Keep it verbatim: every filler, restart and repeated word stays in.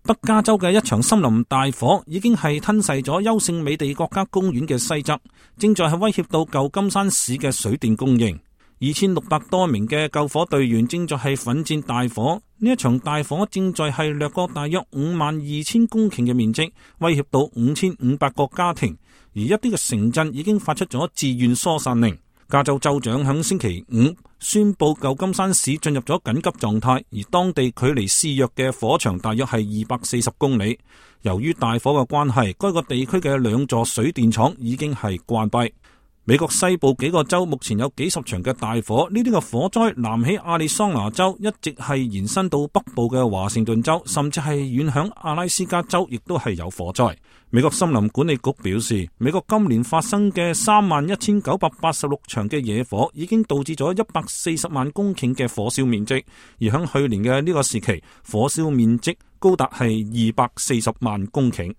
北加州嘅一場森林大火已經係吞噬咗優勝美地國家公園嘅西側，正在係威脅到舊金山市嘅水電供應。二千六百多名嘅救火隊員正在係奮戰大火。呢一場大火正在係掠過大約五萬二千公頃嘅面積，威脅到五千五百個家庭。而一啲嘅城鎮已經發出咗自願疏散令。加州州長響星期五宣布舊金山市進入咗緊急狀態，而當地距離肆虐嘅火場大約係二百四十公里。由於大火嘅關係，該個地區嘅兩座水電廠已經係關閉。美國西部幾個州目前有幾十場嘅大火，呢啲嘅火災南起亞利桑那州，一直係延伸到北部嘅華盛頓州，甚至係遠響阿拉斯加州，亦都係有火災。美國森林管理局表示，美國今年發生嘅三萬一千九百八十六場嘅野火，已經導致咗一百四十萬公頃嘅火燒面積，而響去年嘅呢個時期，火燒面積高達係二百四十萬公頃。